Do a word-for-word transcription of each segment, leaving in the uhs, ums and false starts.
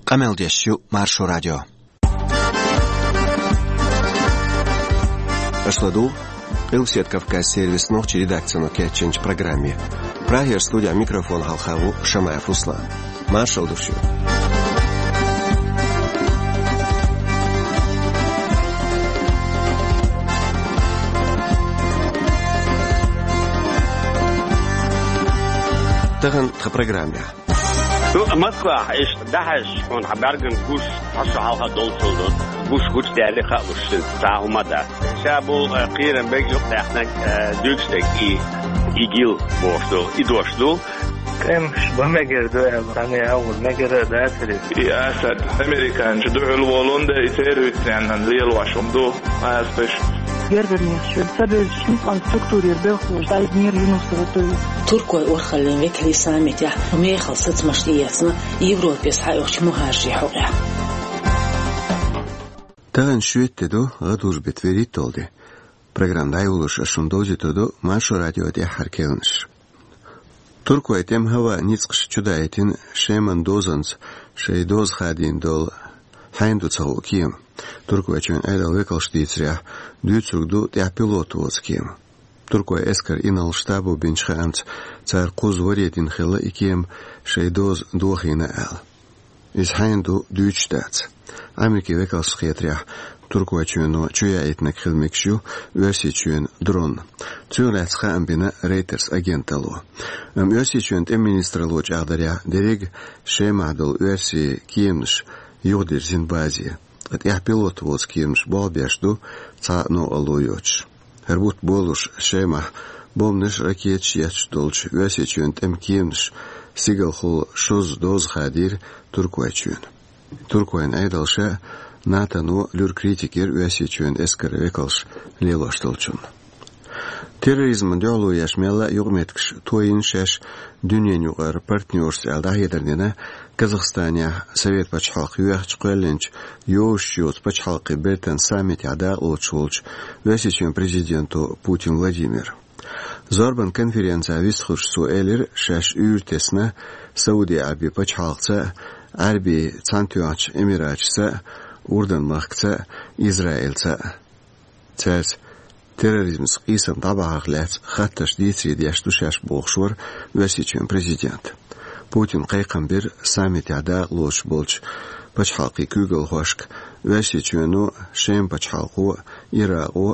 Къамел деш ю Маршо радио. Аша ладугӀу Къилбаседа Кавказ сервисан нохчийн редакцино кечйинчу программе. Прагера студехь микрофон хьалха ву Шамаев Руслан. Маршалла ду шуьга. Тахана тхан программехь. Ду Москвахь иштта дӀахьаьжча, хьуна хьан бӀаьргана гуш цхьа шо хьалха долчул ду, гуш гучудаьлла хаалуш цхьа а хӀума дац. Ша бу, э, кхерам бег юкъадаьхнарг, э, дуьйцуш дерг и, ИГИЛ бохуш ду, и дош ду. ТӀемаш бан мегар ду аьлла, цхьанне а агӀор мегар а дацара иза. И Асад, американчу дуьхьал волун да, и терроризм лелош хӀума ду, кхазбеш. Гергарнех шуьга ца бевзачу хӀинцкъан структурера белхалоша дӀайдинера Юнусова Туйла. Туркойн урхаллин векалий саммитехь мехала сацамаш тӀеэцна Европе схьаоьхучу мухӀажарийн хьокъехь. Тахана шоьтан де ду, гӀадужу беттан вуьрхӀитталгӀа де. Программа дӀайолош ас шуна довзуьйтур ду Маршо радион тӀаьххьара кхаьънаш. Туркойн тӀеман хӀаваан ницкъаш чудаийтина Шеман дозанца шайн доза хадийна долу хьайна ду ца хуу кема. Туркойчоьнан Ӏедалан векалша дийцарехь, дуьйцург ду тӀехь пилот воцу кема. Туркойн эскаран инарла штабо бинчу хаамца, цара кхузза варе дина хилла и кема шайн доза дохийна аьлла. Иза хьайна ду дуьйцуш дац. Америкин векалшна хетарехь, Туркойчоьно чу яийтинарг хила мегаш ю Оьрсийчоьнан дрон. Цунах лаьцна хаам бина Reuters агенталло. Амма Оьрсийчоьнан тӀеман министралло чӀагӀдарехь, дерриг Шемахь долу оьрсийн кеманаш юхадирзина базе, ткъа тӀехь пилот воцу кеманаш болх беш ду цхьа а новкъарло йоцуш. ХӀара бутт болуш Шемахь бомбанаш а, ракеташ а етташ долчу Оьрсийчоьнан тӀеман кеманаш стигалхула шозза доза хадийра Туркойчоьнан. Туркойн Ӏедалша а, НАТОно а луьра критика йира Оьрсийчоьнан эскаран векалша лелош долчунна. Терроризмана дуьхьало еш мелла а юкъаметтигаш тойина шаьш дуьненаюкъара партнерашца аьлла дӀахьедар дина Казахстанехь Совет пачхьалкх йоьхначу кхоьллинчу йозуш йоцу пачхьалкхийн бертан саммитехь дакъалоцуш волчу Оьрсийчоьнан президенто Путин Владимира. Зорбан конференцехь вистхуьлуш цо элира, шаьш уьйр тесна Сауди Ӏаьрбийн пачхьалкхца а, Ӏаьрбийн Цхьаьнатоьхначу Эмираташца а, Урдан-махкаца а, Израильца а. Цаьрца терроризмца къийсам дӀабахьарх лаьцна хаттарш дийцаре деш ду шаьш бохуш вара Оьрсийчоьнан президент. Путина кхайкхам бира саммитехь дакъалоцуш болчу пачхьалкхийн куьйгалхошка, Оьрсийчоьно а, Шеман пачхьалкхо а, Иракъо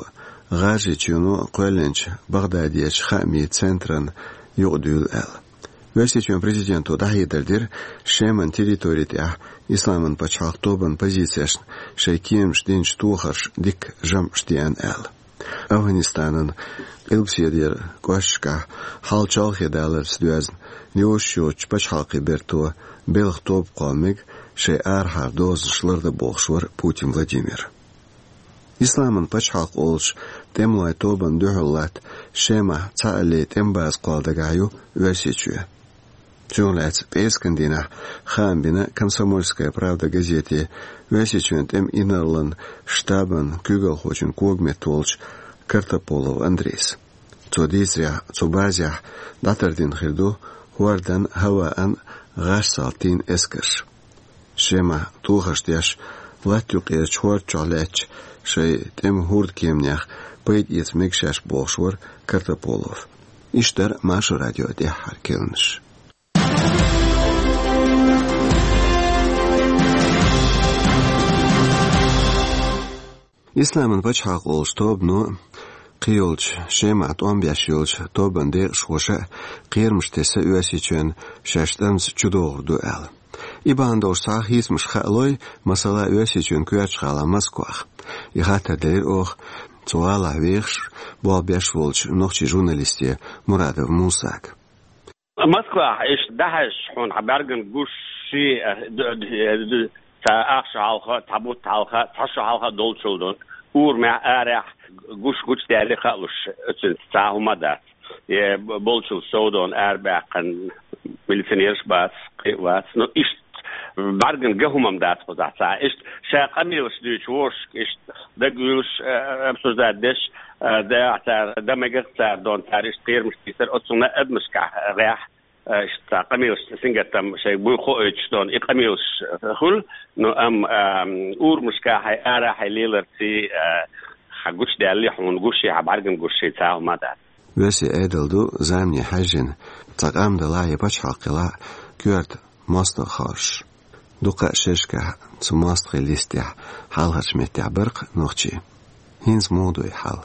а, ГӀажарийчоьно а кхоьллинчу Багъдадерчу хаамийн центрана юкъадуьйла аьлла. Оьрсийчоьнан президенто дӀахьедар дира Шеман территори тӀехь Исламан пачхьалкх тобанан позицешна шайн кеманаша динчу тохарша дикка жамӀаш деана аьлла. АфгӀанистанан Къилбаседера кӀошташкахь хьал чолхе даларца доьзна йозуш йоцучу пачхьалкхийн берто белхан тоба кхолла мега шайн арахьара дозанаш лардан бохуш вара Путин Владимир. Исламан пачхьалкх олучу тӀемалойн тобанна дуьхьал латта Шемахь цхьаалле тӀеман база кхолла дагахь ю Оьрсийчоь. Цунах лаьцна пӀераскан дийнахь хаам бина «Комсомольская правда» газете Оьрсийчоьнан тӀеман инарла штабан куьйгалхочун когаметта волчу Картополов Андрейс. Цо дийцарехь, цу базехь дӀатардина хир ду хӀордан, хӀаваан, гӀаш-салт тийна эскарш. Шемахь тохарш деш, латта юккъерчу хӀорда чохь лаьттачу шайн тӀеман хӀордан кеманех пайда эца мега шаьш бохуш вара Картополов. Иштта дара Маршо радион тӀаьххьара кхаьънаш. Исламан пачхьалкх олучу тобано а, кхийолчу Шемахь тӀом беш йолчу тобанан декъашхоша а кхерамаш тесна Оьрсийчоьнна шаьш тӀамца чудогӀур ду аьлла. И бахьана долуш цхьа а хийцамаш хаалой, масала, Оьрсийчоьнан коьртачу гӀала Москвах. И хаттар делира оха цу гӀалахь вехаш, болх беш волчу нохчийн журналисте Мурадов Мусага. Москвахь иштта дӀахьаьжча, хьуна хьан бӀаьргана гуш ши, э, д-, д-, д-, цхьа ах шо хьалха, цхьа бутт хьалха, цхьа шо хьалха долчул ду, урамехь, арахь гуш гучудаьлла хаалуш, оцуьнца цхьа а хӀума дац. Э, б-, болчул сов ду, арабаьккхина милиционераш бац, кхин а вац. Ну, иштта бӀаьргана ган хӀума-м дац кхузахь цхьа а. Иштта ша къамелаш дуьйцуш, вовшашка иштта дагуьйлуш, э, обсуждать деш, э, дагахь цара, дан мегар цара дон, цара иштта кхерамаш тийсар, оцунна адамашкахь гӀехь. э, иштта къамелаш сингаттам шайга буй хоуьйтуш долу и къамелаш хуьлу, но амма, а, урамашка хьайн ара хьайн леларций, а, хьан гучудаьллий хьуна гуш, хьан бӀаьргана гуш, шайн цхьа хӀума дац. Оьрсийн Ӏедал ду замане хьаьжжина цхьа къам далахь я пачхьалкх хилахь коьрта мостагӀа хоржуш. Дукха а шерашкахь цу мостагӀийн листехь хьалхарчу меттехь бара-кх нохчий. ХӀинца муха ду и хьал?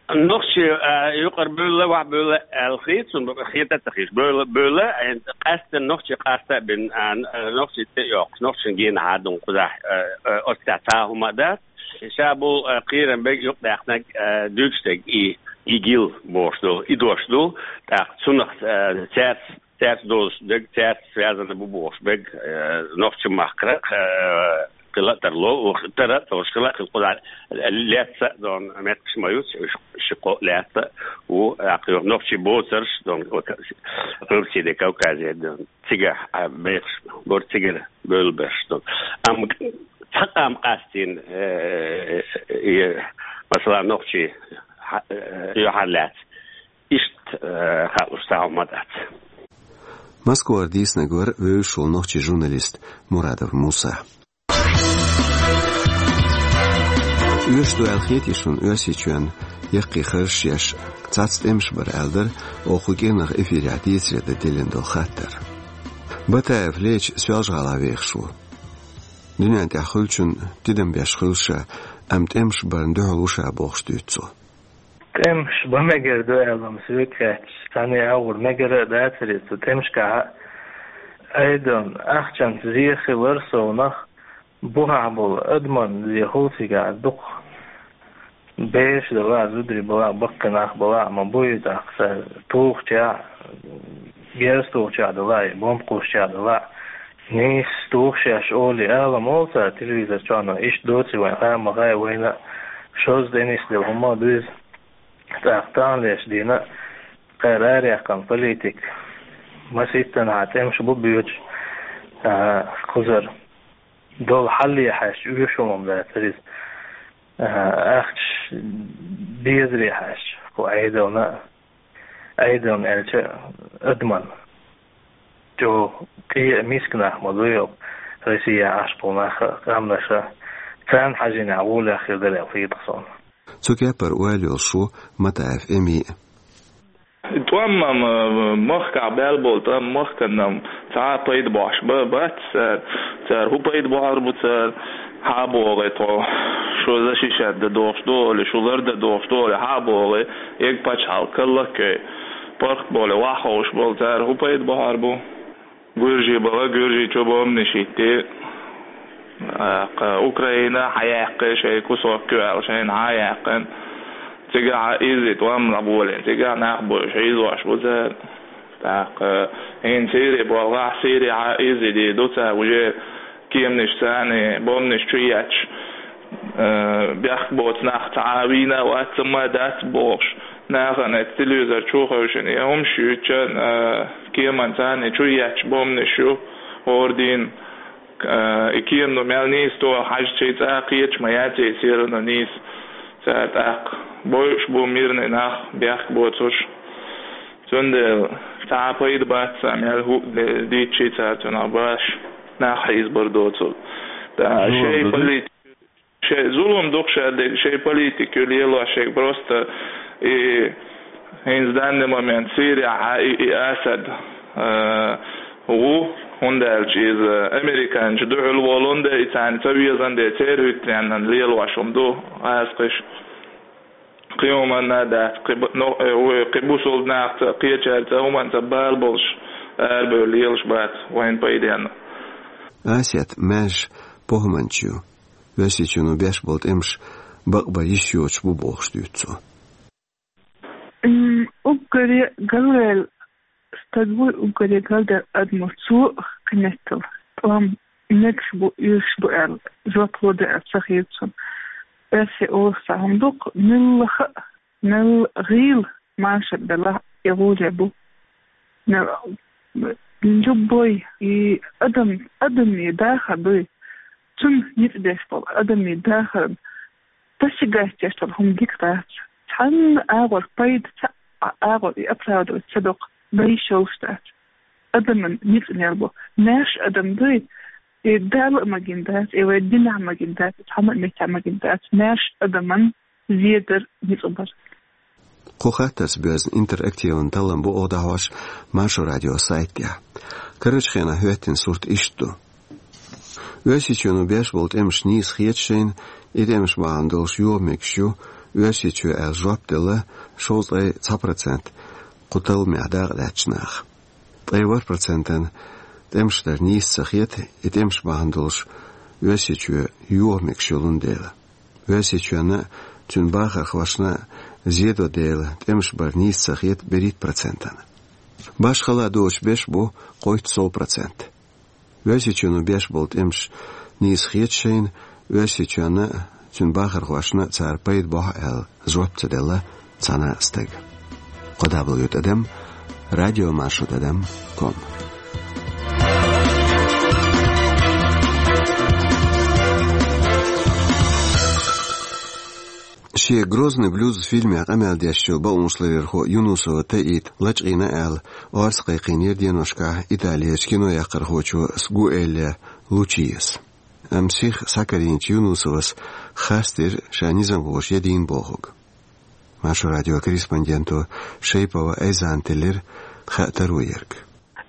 Нохчий, а, юкъара бевлла, охьабевлла аьлла хета суна, хета а ца хеташ. Бевлла, бевлла, а, къаьсттина нохчий къаста а бина, а, н-, а, нохчий тӀе а йоккхуш, нохчашна генахьа а ду кхузахь, а, а, оццахь цхьа а хӀума а дац. Ша болу, а, кхерам берг юкъадаьккхинарг, а, дуьйцуш дерг и, и гил бохуш долу, и дош ду. ТӀаккха цунах, а, цаьрца, цаьрца дозуш дерг, цаьрца связано бу бохуш берг, а, нохчийн махкара, а, хила а тарло, ух, тара а тарлуш хила а хила кхузахь лаьцна а долу меттигаш ма ю, ши-, ши-кхо лаьцна а ву, тӀаккха юха нохчий боцурш долу, вот, Къилбаседе, Кавказе долу. Цигахь, а, бехаш бара, цигара бевлла берш долу. Амма цхьа къам къастийна, э, э, э, масала, нохчий, хьа-, э, юьхьарлаьцна. Иштта, э, хаалуш цхьа хӀума дац. Москвара дийцинарг вара вевзаш волу нохчийн журналист Мурадов Муса. Оьшуш ду аьлла хетий шуна Оьрсийчоьнна яккхий харжаш еш цхьацца тӀемаш бара аьлла дара оха кху кӀирнах эфирехь дийцаре дан диллина долу хаттар? Батаев Леча Соьлжа-ГӀалахь вехаш ву. Дуьнен тӀехь хуьлучунна тидам беш хуьлу ша, амма тӀемаш барна дуьхьал ву ша бохуш дуьйцу цо. ТӀемаш бан мегар ду аьлла-м соьга хаьттича, цхьанне а агӀор мегар а дацара иза цу тӀемашкахь а. Айдон, ахчанца зе хилар совнах, бухахь болу адаман зе хуьлу цигахь дукха. Бераш дала а, зударий бала а, баккхий нах бала а ма бу иза, тӀаккха цара тухучехь, герз тухучехь дала а, бомба кхуссучехь дала а. Нийса тухуш еш олий ала ма олу цара телевизор чохь, но иштта доций вайн хаа ма хаьа, вайна а шозза тӀе нисделла хӀума а ду иза. ТӀаккха таханлерчу дийнахь кхара араяьккхина политика масийттанхьа тӀемаш бу боьдуш, а, кхузара долу хьале хьаьжча, оьшуш хӀума дацара иза. А, ахча безаре хьаьжча, кху Ӏедална а, Ӏедална аьлча, адаман чӀогӀа къе а, миска нах ма ду йо, Россия Ӏаш болу нах а, къаьмнаш а, царна хьажийнехь гӀолехь хир дара аьлла хета суна. Цу кепара ойла йолуш ву Матаев Эми а. ТӀом-м, э, махкахь баьлла болу тӀом махкана-м цхьа а пайда бохьуш ба-, бац цара. Цара хӀун пайда бохьур бу цара? Хьа а бохий тхо, шу защищать дан дохуш ду олий, шу лар дан дохуш ду олий, хьа а бохий, эга пачхьалкх каллаккхий, паргӀат болий, ваха ховш болу цара хӀун пайда бохьур бу? Гуьржий бала, Гуьржийчу бомбанаш йитти. А, кха, Украина хьаяьккхи, шайн кусок ю аьлла, шайна хьа а яьккхина. Цигахь а изза тӀом а болийна, цигахь нах бовлуш, хьийзош бу цара. ТӀаккха хӀинца Сири боллахь, Сири хьа а изза дийр ду цара, уже кеманаш царна, бомбанаш чу етташ, э, бехк боцу нах цхьа а вийна а вац, ма дац бохуш. Нахана телевизор чу хевшина, и хӀумаш юьйцуш, э, кеман царна чу етташ бомбанаш ю, ордин, э, и кема ду мел нийса тоху хьажчий цӀа кхеташ ма яций, серано нийса цара тӀаккха. Бойуш бу мирный нах, бехк боцуш. Цундела цхьа а пайда бац царна, мел хӀуъа де-, дийцчий цара цунах баш, нах хьийзабар доцург. ТӀа шайн политика Шайн зулам дукха ша дерг, шайн политика ю лелош шайга просто и, хӀинца данный момент Сирияхьа и, и Асад, э, ву, хӀунда аьлча иза американчу дуьхьал волун де, и царна ца везан де, церан хӀуьттаренна лелош хӀума ду, гӀазкхиш. Кхин хӀуманна а дац, кхин бу-, но, э, вай кхин бусулба нахаца, кхечаьрца, хӀуманца бала болуш, арабевлла лелаш бац вайн пайденна. Асет маьжжа похӀманча ю. Оьрсийчоьно беш болу тӀемаш бакъбан йиш йоцуш бу бохуш дуьйцу цо. М, уггаре галваьлла стаг вуй, уггаре галдаьлла адамо, цо кхин меттала тӀом мегаш бу, оьшуш бу аьлла жоп ло дан аьлла ца хета цунна. Оьрсий олуш цхьа хӀума ду-кх, муьлхха а, мел гӀийла машар белахь а, и гӀоле бу. Мел, любой и адам, адамийн дахар дуй, цунна ницкъ беш болу адамийн дахарна тасигастеш долу хӀума дика дац. Цхьанна агӀор пайда ца, а, агӀор и оправдывать ца доккху, дан йиш йолуш дац. адаман ницкъ мел бу. Маьрша адам дуй, и Дала а магийна дац, и вай динехь магийна дац, цхьана а меттехь магийна дац, маьрша адаман зе дар, ницкъ бар. Кху хаттарца боьзна интерактиван таллам бу оха дӀахьош Маршо радион сайт тӀехь. Карарчу хенахь хӀоьттина сурт иштта ду. Оьрсийчоьно беш болу тӀемаш нийса хета шайна, и тӀемаш бахьана долуш йоха мегаш ю Оьрсийчоь аьлла жоп делла шовзткъе цхьа процент кху талламехь дакъа лаьттачу наха. Ткъе ворхӀ процентана тӀемаш дар нийса ца хета, и тӀемаш бахьана долуш Оьрсийчоь йоха мегаш йолун дела. Оьрсийчоьнна а, цуьнан бахархошна а зе до дела, тӀемаш бар нийса ца хета берхӀитта процентана. Башхалла доцуш беш бу кхойтта сов процент. Оьрсийчоьно беш болу тӀемаш нийса хета шайна, Оьрсийчоьнна а, цуьнан бахархошна а цара пайда бохьу аьлла жоп ца делла цхьана а стага. Кхо дабл ю тӀадам радио маршо тӀадам ком. Шен «Грозный блюз» фильмехь къамел деш йолу бакъонашларъярхо Юнусова Таита лачкъийна аьлла, орца кхайкхийнера деношкахь Италерчу кинояккхархочо Сгуэлле Лучиас. Амма сиха схьакарийначу Юнусовас харцдира ша низамхоша ян дийна бохург. Маршо радион корреспонденто Шайпова Айзана теллира хаттар а ерг.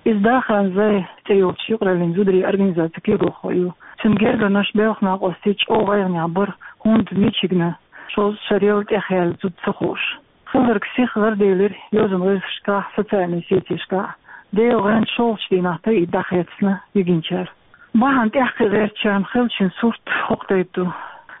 Иза Дахан Зай цӀе йолчу юкъараллин зударийн организацин куьйгалхо ю. Цуьнан гергарнаш белхан накъостий чӀогӀа гӀайгӀанехь бара, хӀунда мичигна шозза шарал тӀехъяьлла зуда ца хууш. Хилларг сиха ларделира йозанан гӀирсашкахь, социальни сетешкахь. Делан гӀанта шолгӀачу дийнахь Таита дӀахецна йигинчара. Бахьана тӀаьхьакхиа гӀертачарна хиллачун сурт хӀокху тайпа ду.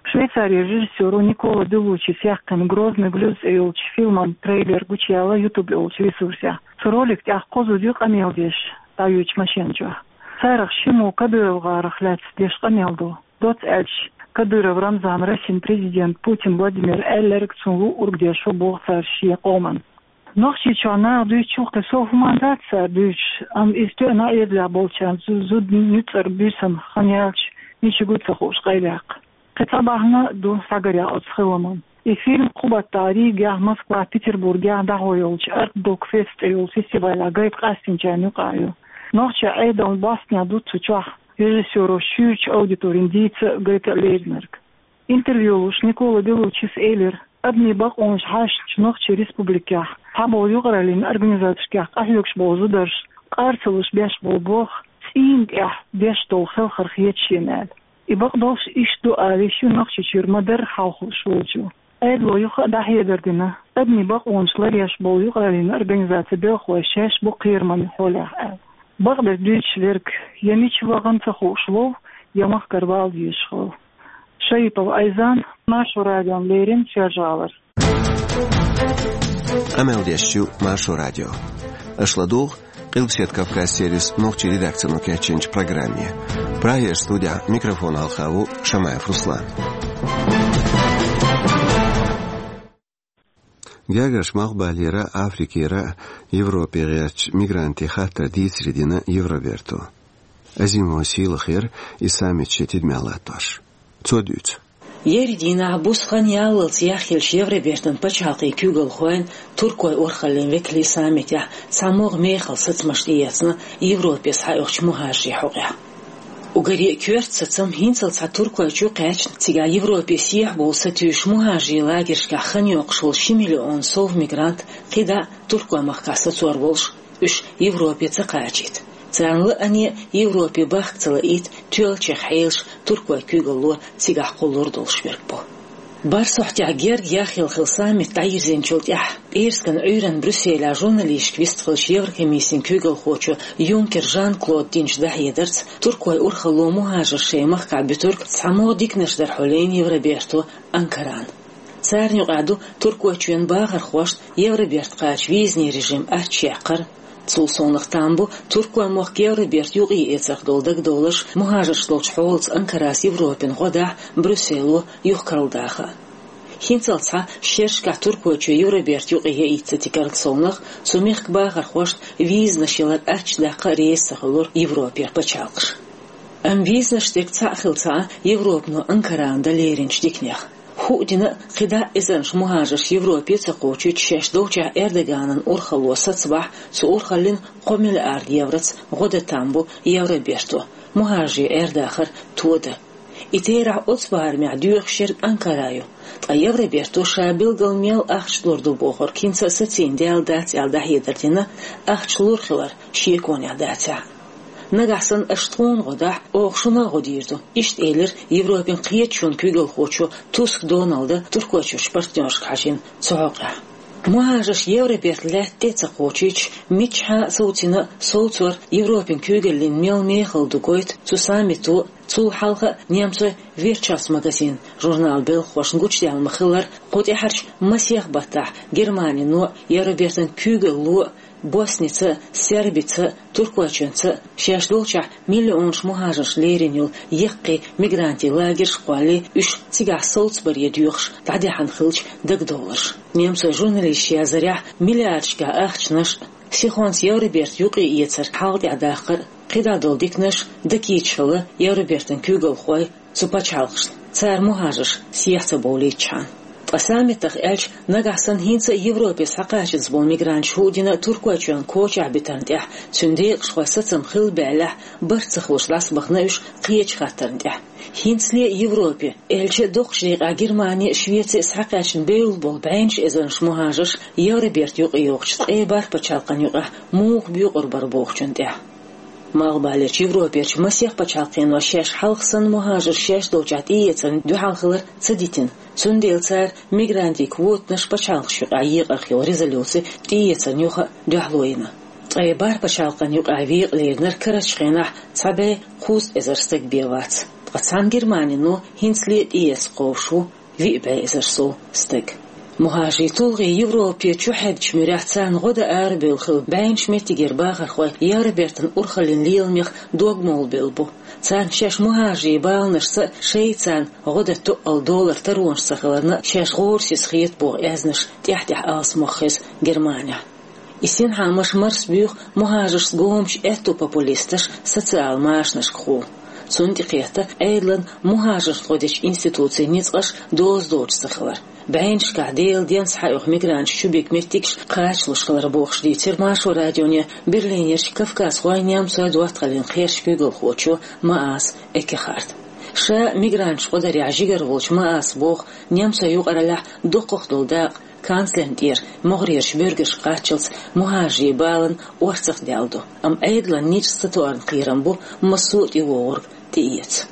Швейцарин режиссёро Никола Беллучис яьккхина «Грозный блюз» цӀе йолчу фильман трейлер гучуяьлла YouTube йолчу ресурсехь. Цу ролик тӀехь кхо зуда ю къамел деш дӀаюьйчу машен чохь. Царах шиммо КадыровгӀарах лаьцна деш къамел ду. Доцца аьлча, Кадыров Рамзан Россин президент Путин Владимира аьлларг цунна луъург деш ву боху цара шен къоман. Нохчийчохь наха дуьйцучух кхин сов хӀуманна дац цара дуьйцуш, амма иза тоьъна а эзалехь болчарна зу-, зуда нуьцкъара буьйсанна хан яьлча, мича гу ца хууш къайлаяккха. Кхин цхьа бахьана а ду схьагарехь оцу хиламан. И фильм кху баттахь Ригехь, Москвахь, Петербургехь дӀахьо йолчу Art Dog Fest цӀе йолу фестивалехь гайта къастийначарна юкъахь ю. Нохчийн Ӏедална бостнехь ду цу чохь режиссёро шуьйрачу аудиторина дийца а, гайта а леринарг. Интервью луш Никола Беллучис элира, адамийн бакъонаш хьаьшначу нохчийн республикехь, цхьаболу юкъараллин организацешкахь къахьоьгуш болу зударша къар ца луш беш болу болх цӀийнан тӀехь деш долу хелхар хета шена аьлла. И бакъдолуш иштта ду алийш ю Нохчийчуьра ма-дарра хьалхалуш волчо. Ӏедало юха а дӀахьедар дина, адамийн бакъонаш ларъеш болу юкъараллин организацин белхалой шаьш бу кхераман хьолехь аьлла. Бакъдерг дуьйцуш верг я мича вахана ца хууш ву, я махкара вала дезаш хилла. Шаипова Айзан, Маршо радиона леррина, Соьлжа-ГӀалара. Къамел деш ю Маршо радио. Аша ладугӀу Къилбаседа Кавказ сервисан нохчийн редакцино кечйинчу программе. Прагера студехь микрофон хьалха ву Шамаев Руслан. Гергарчу Малхбалера, Африкера, Европе гӀертачу мигрантийн хаттар дийцаре дина Евроберто. Азимова Сийлахера и саммит шен тидамехь латтош. Цо дуьйцу. Ерриг дийнахь буса хан яллалц яхъеллачу Евробертан пачхьалкхийн куьйгалхойн, туркойн урхаллин векалийн саммитехь цхьа могӀа мехала сацамаш тӀеэцна Европе схьаоьхучу мухӀажарийн хьокъехь. Уггаре а коьрта сацам хӀинццалц цхьа Туркойчу кхаьчна, цигахь Европе сехьа бовла сатуьйсуш мухӀажарийн лагершкахь хан йоккхуш волу ши миллион сов мигрант кхидӀа а Туркойн махкахь сацор волуш, уьш Европе ца кхачийта. Царна лаьцна а Европе бахка ца лаийта тоьллачех хьелаш Туркойн куьйгалло цигахь кхуллур долуш верг бу. Барсхьахьтехь герга яхъелла хилла саммит дӀайирзинчул тӀаьхьа пӀераскан Ӏуьйранна Брюсселехь журналисташка вистхиллачу Еврокомиссин куьйгалхочо Юнкер Жан-Клода динчу дӀахьедарца, туркойн урхалло мухӀажарш шайн махкахь буьтург цхьа могӀа диканаш дара хьулийна Евроберто Анкарана. Царна юкъахь ду Туркойчоьнан бахархошна Евроберта кхача визанийн режим аччаяккхар. Цул совнаха там бу Туркойн мохк Евроберта юкъаэцарх долу дагадовларш мухӀажарш долчу хьолаца Анкарас Европин гӀо дахьа Брюссело юхакарладаха. ХӀинццалц цхьа шерашкахь Туркойчоь Евроберта юкъа яйта ца тигарал совнаха, цу мехкан бахархошна визанаш ялар аччадаккха а реза ца хуьлура Европера пачхьалкхаш. Амма визанаш дерг цхьаъ хилла ца Ӏа, Европано Анкарана дан леринчу диканех. ХӀуъа дина а кхидӀа а эзарнаш мухӀажарш Европе ца кхочуьйтуш шаьш долчохь Эрдоганан урхалло сацабахь, цу урхаллин кхо миллиард евроца гӀо дан там бу Евроберто мухӀажарийн Ӏер-дахар тодан. И терахь оцу барамехь доьхуш ерг Анкара ю, ткъа Евроберто ша билггал мел ахча лур ду бохург хӀинца а сацийна даьлла дац аьлла дӀахьедар дина, ахча лур хилар шеконехь дацахь а. Нагахь санна аша тхуна гӀо дахь, оха шуна а гӀо дийр ду, иштта элира Европин кхеташонан куьйгалхочо Туск Доналда Туркойчуьрчу партнершка хьажийна цу хьокъехь. МухӀажарш Евроберта лаьтта тӀе а ца кхочуьйтуш, миччахьа а совцийна а совцор Европин куьйгаллин мел мехала ду гойту цу саммито а, цул хьалха а немцойн Wirtschaftsmagazin журналан белхахошна гучудаьлла ма-хиллара, кху тӀаьхьарчу масех баттахь Германино а, Евробертан куьйгалло а Босница а, Сербица а, Туркойчоьнца а шаьш долчохь миллионаш мухӀажарш лерина йолу яккхий мигрантийн лагерш а кхоллий, уьш цигахь совцабаре доьхуш дӀадаьхьна хиллачу дагадовларш. Немцойн журналисташа яздарехь, миллиардашкахь ахчанаш а, сихонца Евроберта юкъаэцар хьалха тӀаьхьа даккхар а, кхидӀа долу диканаш а даккхийчхьана Евробертан куьйгалхой цу пачхьалкхашна, цара мухӀажарш сехьа ца бовлийтчхьана. Ткъа саммитах аьлча, нагахь санна хӀинца а Европе схьакхачанза болу мигранташ хӀуъа дина Туркойчоьнан кочахь битарна тӀехь, цуьнан декъашхойн сацам хилла баьллехь, барт ца хуьлуш дӀасабахана уьш кхечу хаттарна тӀехь. ХӀинцале а Европе, аьлча а доккхачу декъехь Германи а, Швеци а схьакхаьчна бевлла болу бӀеннаш эзарнаш мухӀажарш Евроберта юкъайогӀучу ткъе бархӀ пачхьалкхан юкъахь муха боькъур бара бохучунна тӀехь. Малхбалерчу Европерчу масех пачхьалкхено шаьш хьалха санна мухӀажарш шаьш долчохь тӀеэцарна дуьхьал хилар ца дитина, цундела цара мигрантийн квотанаш пачхьалкхаш юкъахь екъарх йолу резолюци тӀеэцарна юха а дуьхьало йина. Ткъе бархӀ пачхьалкхан юкъахь векъа леринарг карарчу хенахь цхьа бӀе кхузткъа эзар стаг бен вац. Ткъа цхьана Германино хӀинцале а тӀеэцна кхобуш ву виъ бӀе эзар сов стаг. МухӀажарийн тулгӀе Европе чухьеддачу муьрехь царна гӀо дан арабевлла хилла бӀеннаш меттигера бахархой Евробертан урхаллин леламех дог молабевлла бу. Царна шаьш мухӀажарийн баланашца а, шайца царна гӀо дан тоъал долар таронаш ца хиларна а шаьш гӀорасиз хета боху аьзнаш тӀаьхь-тӀаьхьа алсамох хеза Германехь. И синхьаамаш марсабуьйху мухӀажаршца гомачу аьтту популисташа социал машанашкахула. Цунна тӀекхетта Ӏедалан мухӀажаршна гӀо дечу институцийн ницкъаш доза доцуш ца хилар, бӀеннашкахь Делан денца схьаоьху мигранташ чубига меттигаш кхачалуш хилар бохуш дийцира Маршо радионе Берлинерчу кавказхойн, немцойн доттагӀаллин кхерчан куьйгалхочо Маас Эккехарта. Ша мигранташ гӀо дарехь жигара волчу Мааса боху, немцойн юкъараллехь доккхах долу дакъа канцлерна тӀера могӀарерчу буьргашка кхаччалц мухӀажарийн баланан орцах даьлла ду, амма Ӏедалан ницкъ ца тоьарна кхерам бу массо а тӀевогӀург тӀеэца.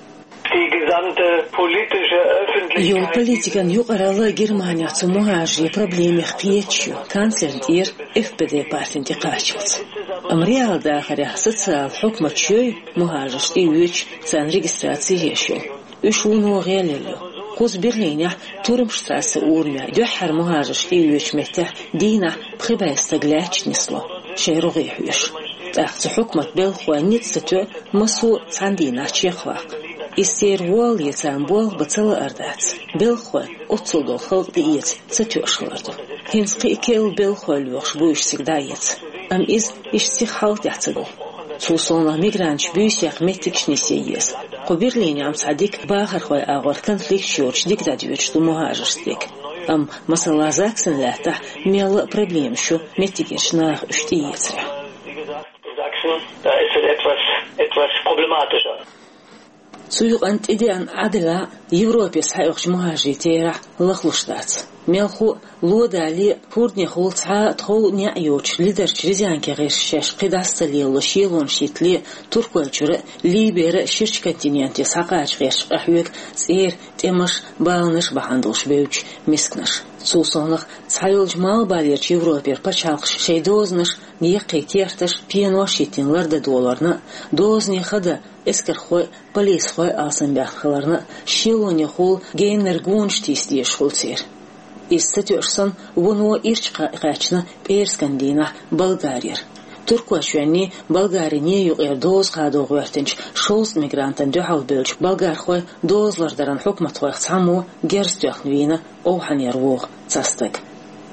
Die gesamte politische öffentliche Йолу политикан юкъаралла Германехь цу мухӀажарийн проблемех кхеташ ю, канцлерна тӀера F P D партина тӀекхаччалц. Амма реал дахарехь социал хьукматаш йой мухӀажарш тӀеоьцуш, царна регистраци еш йолу? Уьш вуно гӀелъелла ю. Кхуза Берлинехь Турмштрассе урамехь дуьххьара мухӀажарш тӀеоьцучу меттехь дийнахь пхи бӀе стаг лаьтташ нисло, шайн рогӀе хьоьжуш. ТӀаккха цу хьукматан белхахойн ницкъ ца тоьа массо а цхьана дийнахь чекхваккха. Иза церан волле царна болх бан ца лаар дац. Белхахой оццул долу халкъ тӀеэца ца тоьуш хилар ду. ХӀинца кхин а керла белхахой лоьхуш бу уьш цига дӀаэца. Амма иза иштта сиха хьалха тӀехь ца го. Цул совнаха мигранташ буьйсех меттигаш нисъе еза. Кху Берлинехь-м цхьа дика бахархойн агӀор конфликташ йоцуш дика дӀадоьдуш ду мухӀажаршна дерг. Амма, масала, Заксен лаьттахь мелла а проблемаш ю меттигерчу наха уьш тӀеэцарехь. Sachsen, da ist es etwas, etwas problematischer. Цу юкъана тӀедеана Ӏадда а Европе схьаоьхучу мухӀажарийн терахь лахлуш дац. Мелхо а, ло далале а, хӀордехула цхьа а тхов а, неӀ а йоцуш лидарчу Рязанке гӀирсаша шаьш кхидӀа а ца лело шелонаш йиттале а, Туркойчуьра а, Либера а ширачу континенте схьакхача гӀерташ къахьоьгу цӀера тӀемаш а, баланаш а бахьана долуш бевддаш мисканаш. Цул совнаха цхьайолчу Малхбалерчу Европера пачхьалкхаша шайн дозанаш, яккхий керташ, пенош йиттина лардан доларна а, дозанийн хада эскархой а, полисхой а алсамбаьхна хиларна а, шелонехула геннара гонаш тийса дезаш хуьлу церан. Иза ца тоьуш санна, вуно ирча кхаьчна пӀераскан дийнахь Болгарера. Туркойчоьнний, Болгариний юкъера доза кхадо гӀоьртинчу шовзткъа мигрантана дуьхьал бевллачу болгархойн доза лардаран хьукматхойх цхьаммо герз тоьхна вийна овхӀанера вогӀу цхьа стаг.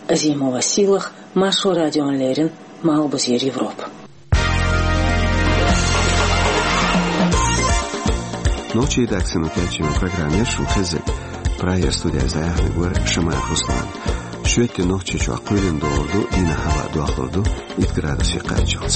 Азимова Сийлаха, Маршо радиона леррина, Малхбузера Европа. Нохчийн редакцино кечйина программа яра шун хезнарг. Прагера студига зӀамига вара Шамаев Руслан. Шоьтан Нохчийчохь кхоьлина догӀур ду, дийнахь хӀаваъ дохлур ду итт градусе кхаччалц.